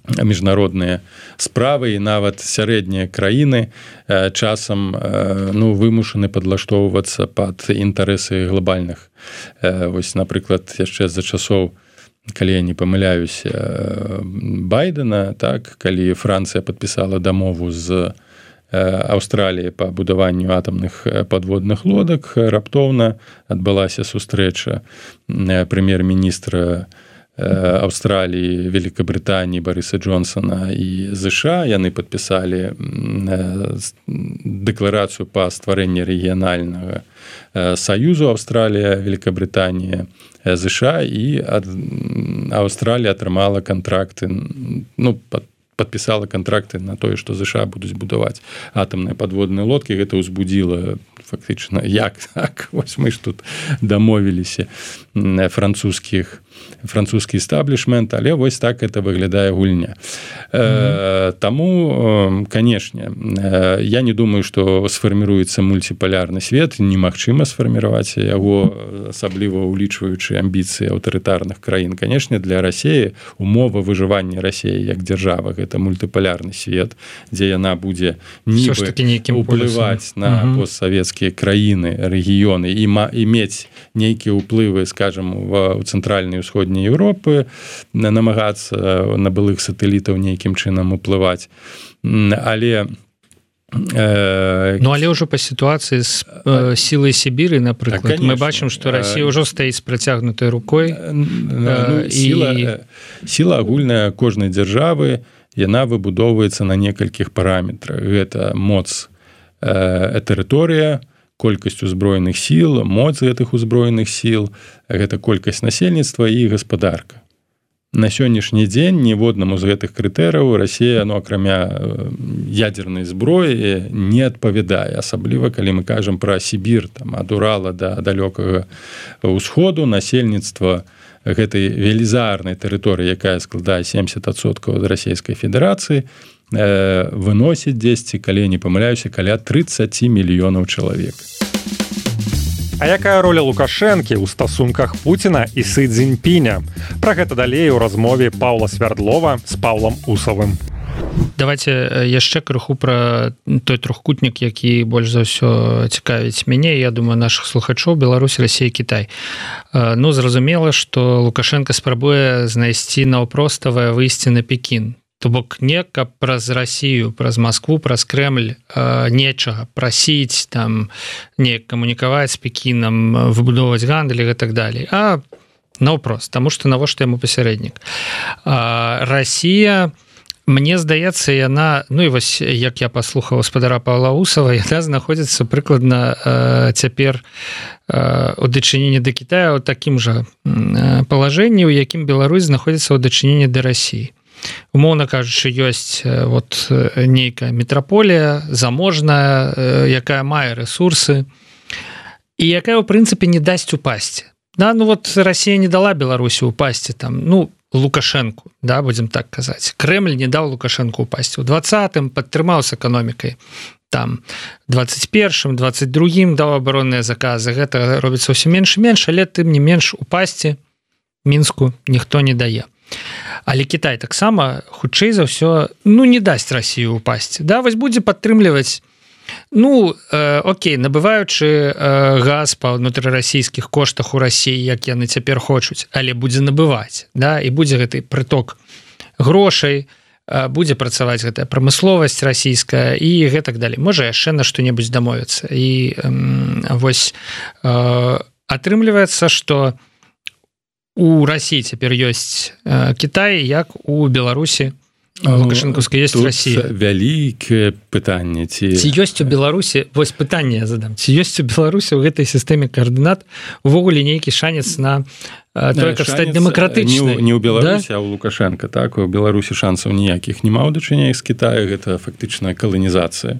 міжнародныя справы, і нават сярэднія краіны часам ну, вымушаны падлаштоўвацца пад інтарэсы глобальных. Вось, напрыклад, яшчэ за часоў, калі я не памыляюсь, Байдена, так, калі Францыя падпісала дамову з Аўстраліі па будаванню атамных падводных лодак, раптоўна адбылася сустрэча прэм'ер-міністра Аўстраліі, Великабрытаніі Барыса Джонсона і ЗША. Яны падпісалі дэкларацыю па стварэнні рэгіянальнага саюзу Аўстралія, Великабрытанія, ЗША, і Аўстралія атрымала кантракты, ну, пад подписала контракты на тое, што ЗША будуць будаваць атамныя падводныя лодкі. Гэта ўзбудзіла фактычна, як так, вось мы ж тут дамовіліся французскіх французскі эстаблішмент, але вось так это выглядае гульня. Mm-hmm. Таму, канешне, я не думаю, што сфарміруецца мультипалярны свет, немагчыма сфарміраваць яго, асабліва улічваючы амбіцыі аўтарытарных краін. Канешне, для Расіі умова выжывання Расіі як дзяржава — гэта мультипалярны свет, дзе яна будзе нібы ўплываць на mm-hmm. постсавецкія краіны, рэгіёны і, і мець нейкія ўплывы, скажам, у цэнтральнай усходняй Еўропы, намагацца на былых сатэлітаў нейкім чынам уплываць. Але э... ну, але ўжо па сітуацыі з э, сілай Сібіры, напрыклад, так, мы бачым, што Расія ўжо стаіць з працягнутай рукой. Ну, сіла, і... сіла агульная кожнай дзяржавы, яна выбудоўваецца на некалькіх параметрах. Гэта моц э, тэрыторыя, колькасць узброеных сіл, моц гэтых узброеных сіл, гэта колькасць насельніцтва і гаспадарка. На сённяшні дзень ніводнаму з гэтых крытэрыяў Расія, ну, акрамя ядзернай зброі, не адпавядае. Асабліва, калі мы кажам пра Сібір, там, ад Урала да далёкага ўсходу, насельніцтва гэтай велізарнай тэрыторыі, якая складае семьдесят адсоткаў ад Расійскай Федэрацыі, выносіць дзесьці, калі не памыляюся, каля тридцать мільёнаў чалавек. А якая роля Лукашэнкі ў стасунках Пуціна і Сы Цзіньпіня? Пра гэта далей у размове Паўла Свярдлова з Паўлам Усавым. Давайте яшчэ крыху пра той трохкутнік, які больш за ўсё цікавіць мяне, я думаю, наших слухачоў: Беларусь, Расія, Кітай. Ну, зразумела, што Лукашенко спрабуе знайсці наўпроставае выйсце на Пекін. То бок не каб праз Расію, праз Маскву, праз Крэмль нечага прасіць, там неяк камунікаваць з Пекінам, выбудоўваць гандаль і так далей, а наўпрост, таму што навошта яму пасярэднік. Расія, мне здаецца, яна, ну і вось як я паслухаў гаспадара Паўла Усава, яна знаходзіцца прыкладна э, цяпер э, у дачыненні да Кітая ў такім жа э, палажэнні, у якім Беларусь знаходзіцца ў дачыненні да Расіі. Умоўна кажучы, ёсць э, вот нейкая метраполія заможная, э, якая мае рэсурсы і якая ў прынцыпе не дасць упасці. Да, ну вот Расія не дала Беларусі упасці там, ну, Лукашенку, да, будем так казаць. Крэмль не даў Лукашенку упасці. У двадцатым падтрымаў з эканомікай. Там двадцать першым, двадцать другім даў абаронныя заказы. Гэта робіцца ўсё менш і менш, але тым не менш упасці Мінску ніхто не дае. Але Кітай таксама хутчэй за ўсё, ну, не дасць Расію упасці. Да, вось будзе падтрымліваць, ну, э, окей, набываючы э, газ па ўнутрырасійскіх коштах у Расіі, як яны цяпер хочуць, але будзе набываць, да, і будзе гэты прыток грошай, э, будзе працаваць гэтая прамысловасць расійская і гэтак далей. Можа яшчэ на што-небудзь дамовіцца. І э, вось э, атрымліваецца, што у Расіі цяпер ёсць э, Кітай, як у Беларусі Лукашэнкаўская ёсць Расія. Вялікае пытанне, ці... ці ёсць у Беларусі, вось пытанне я задам, ці ёсць у Беларусі ў гэтай сістэме каардынат увогуле нейкі шанец на той, каб стаць дэмакратычнай? Не ў Беларусі, да? А ў Лукашенка, так, у Беларусі шансаў ніякіх няма ў дачыненнях з Кітаю, гэта фактычная каланізацыя.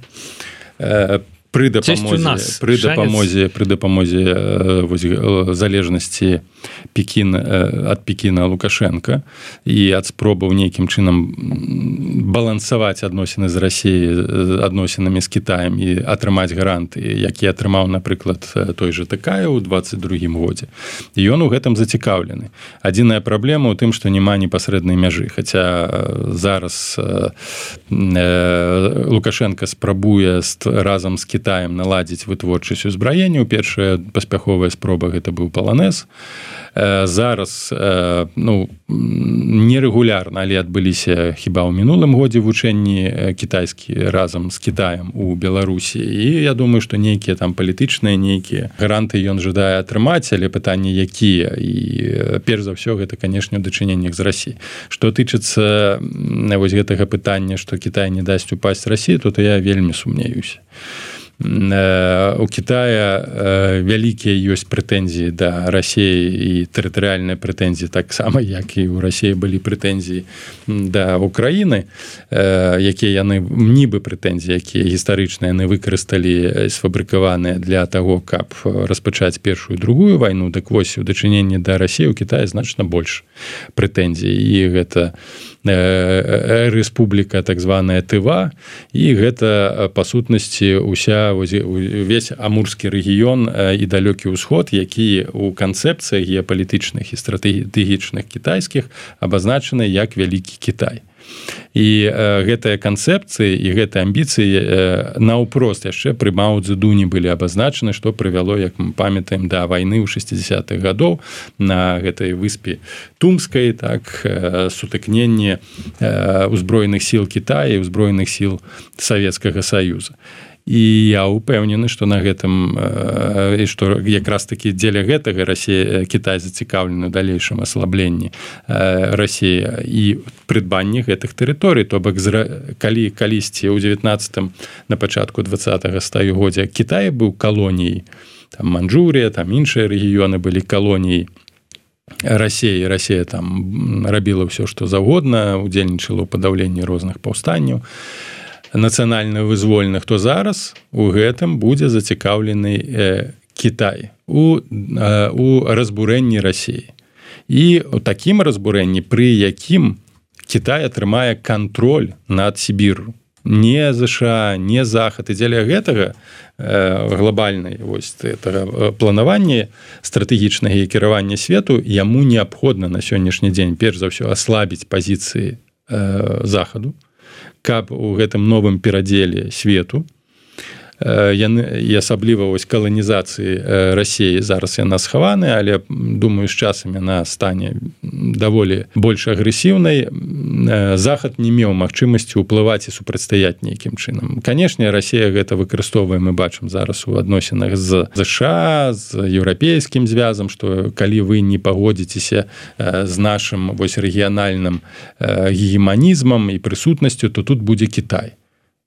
Пры дапамозе, пры дапамозе, пры дапамозе вось, залежнасці Пекін, ад Пекіна Лукашенка і ад спробаў нейкім чынам балансаваць адносіны з Расіяй адносінамі з Кітаем і атрымаць гаранты, які атрымаў, напрыклад, той жа Такаеў у двадцать другім годзе. І ён у гэтым зацікаўлены. Адзіная праблема ў тым, што няма непасрэднай мяжы, хаця зараз Лукашенка спрабуе разам з Кітаем Кітаем наладзіць вытворчасць узбраенняў. Першая паспяховая спроба гэта быў паланез. Зараз, ну, нерэгулярна, але адбыліся хіба ў мінулым годзе вучэнні кітайскі разам з Кітаем у Беларусі. І я думаю, што нейкія там палітычныя, нейкія гаранты ён жадае атрымаць, але пытанні якія. І перш за ўсё гэта, канешне, у дачыненнях з Расіяй. Што тычыцца вось гэтага пытання, што Кітай не дасць упасць Расіі, то я вельмі сумнеюся. У Кітая вялікія ёсць прэтэнзіі да Расіі і тэрытарыяльныя прэтэнзіі таксама, як і ў Расіі былі прэтэнзіі да Украіны, якія яны нібы прэтэнзіі, якія гістарычныя яны выкарысталі, сфабрыкаваныя для таго, каб распачаць першую, другую вайну. Так вось, у дачыненні да Расіі ў Кітаі значна больш прэтэнзій. І гэта рэспубліка так званая Тыва, і гэта па сутнасці уся увесь амурскі рэгіён і далёкі ўсход, які ў канцэпцыях геапалітычных і стратэгічных кітайскіх абазначаны як вялікі Кітай. І э, гэтыя канцэпцыі і гэтыя амбіцыі э, наўпрост яшчэ пры Мао Цзэдуні былі абазначаны, што прывяло, як мы памятаем, да вайны ў шэсцідзесятых гадоў на гэтай выспе Тумскай, так, э, сутыкненне э, узброеных сіл Кітая і узброеных сіл Савецкага Саюза. І я ўпэўнены, што на гэтым і што якраз такі дзеля гэтага Расія, Кітай зацікаўлены ў далейшым аслабленні Расіі і прыдбанні гэтых тэрыторый. То бок, калі калісьці ў дзевятнаццатым, на пачатку двадцатага стагоддзя Кітай быў калоніяй, там Манчжурія, там іншыя рэгіёны былі калоніяй Расіі, Расія там рабіла ўсё, што заўгодна, удзельнічала ў падаўленні розных паўстанняў нацыянальна-вызвольных, то зараз у гэтым будзе зацікаўлены э, Кітай у, э, у разбурэнні Расіі. І у такім разбурэнні, пры якім Кітай атрымае кантроль над Сібіру. не ЗША, не захад. І дзеля гэтага глобальнай вось гэтага планавання стратэгічнага і кіравання свету яму неабходна на сённяшні дзень перш за ўсё аслабіць пазіцыі захаду, каб у гэтым новым перадзеле свету яны і асабліва вось каланізацыі Расіі зараз яна схаваная, але думаю з часам яна стане даволі больш агрэсіўнай. Захад не меў магчымасці ўплываць і супрацьстаяць нейкім чынам. Канешне, Расія гэта выкарыстоўвае, мы бачым зараз у адносінах з ЗША, з еўрапейскім звязам, што калі вы не пагодзіцеся з нашым вось рэгіянальным гегеманізмам і прысутнасцю, то тут будзе Кітай.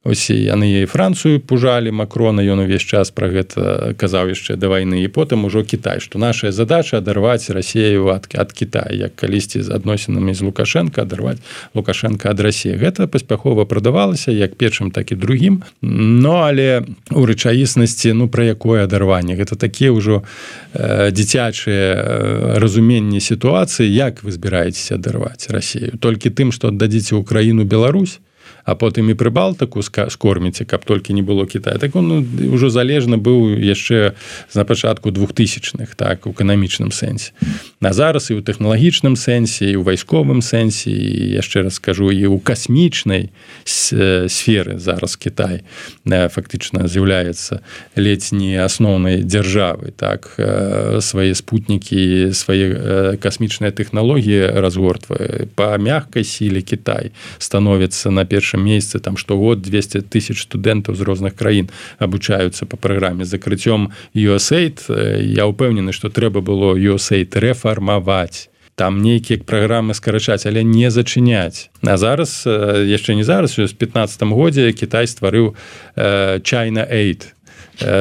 Ось яны і Францыю пужалі, Макрона, ён увесь час пра гэта казаў яшчэ да вайны, і потым ужо Кітай, што нашая задача адарваць Расію ад, ад Кітая, як калісьці з адносінамі з Лукашенко адарваць Лукашенко ад Расіі. Гэта паспяхова прадавалася як першым, так і другім, но але у рэчаіснасці, ну, пра якое адарванне? Гэта такія ўжо э, дзіцячыя разуменні сітуацыі, як вы збіраецеся адарваць Расію? Толькі тым, што аддадзіце Украіну, Беларусь, а потым і Прыбалтыку скорміце, каб толькі не было Кітая. Так он ну, ўжо залежна быў яшчэ на пачатку двухтысячных, так, у эканамічным сэнсе. А зараз і ў тэхналагічным сэнсе, і ў вайсковым сэнсе, і яшчэ раз скажу, і ў касмічнай сферы зараз Кітай фактычна з'яўляецца ледзь не асноўнай дзяржавай, так, свае спутнікі, свае касмічныя тэхналогіі разгортвае. Па мягкай сіле Кітай становіцца на першым месяцы, там штогод двести тысяч студэнтаў з розных краін абучаюцца па праграме. З закрыццём ю эс эй ай я ўпэўнены, што трэба было ю эс эй ай рэфармаваць. Там нейкія праграмы скарачаць, але не зачыняць. А зараз, яшчэ не зараз, у пятнаццатым годзе Кітай стварыў China Aid,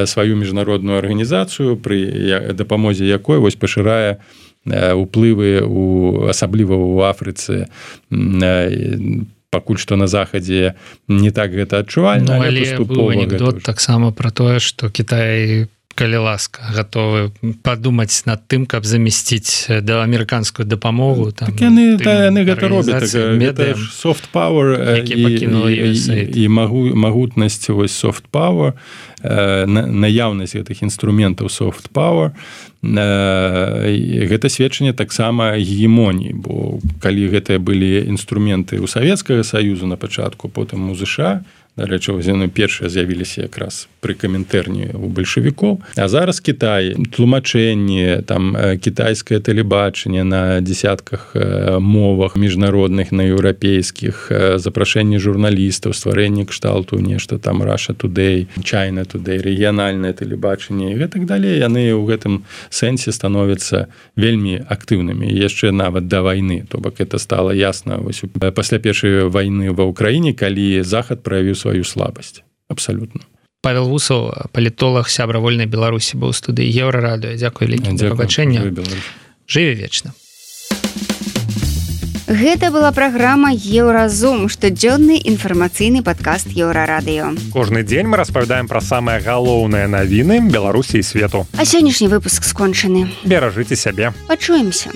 сваю міжнародную арганізацыю, пры дапамозе якой вось пашырае уплывы у, асабліва ў Афрыцы, пакуль што на захадзе не так гэта адчувальна, ну, але быў анекдот таксама пра тое, што Кітай, калі ласка, гатовы падумаць над тым, каб замясціць да амерыканскую дапамогу. Там, так яны, та, яны гэта робяць. Гэта soft power і, і, і магу, магутнасць вось soft power, наяўнасць гэтых інструментаў soft power, гэта сведчанне таксама гегемоніі, бо калі гэтыя былі інструменты ў Савецкага Саюзу на пачатку, потым у ЗША, дарэчы, яны першыя з'явіліся якраз пры каментэрні у бальшавікоў. А зараз Кітай, тлумачэнне, там кітайскае тэлебачанне на дзесятках мовах міжнародных, на еўрапейскіх, запрашэнне журналістаў, стварэнне кшталту нешта там Russia Today, China Today, рэгіянальнае тэлебачанне і гэтак далей. Яны ў гэтым сэнсе становяцца вельмі актыўнымі. Яшчэ нават да вайны. То бок это стала ясна вось пасля першай вайны ва Ўкраіне, калі Захад праявіў сваю слабасць. Абсалютна. Павел Вусаў, палітолог, сябра вольнай Беларусі, быў у студыі Еўрарадыё. Дзякуй вялікі за пабачэнне. Жыве вечна. Гэта была праграма Еўразум, штодзённы інфармацыйны падкаст Еўрарадыё. Кожны дзень мы распавядаем пра самыя галоўныя навіны Беларусі і свету. А сённяшні выпуск скончаны. Беражыце сябе. Пачуемся.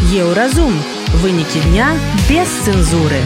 Еўразум. Вынікі дня без цэнзуры.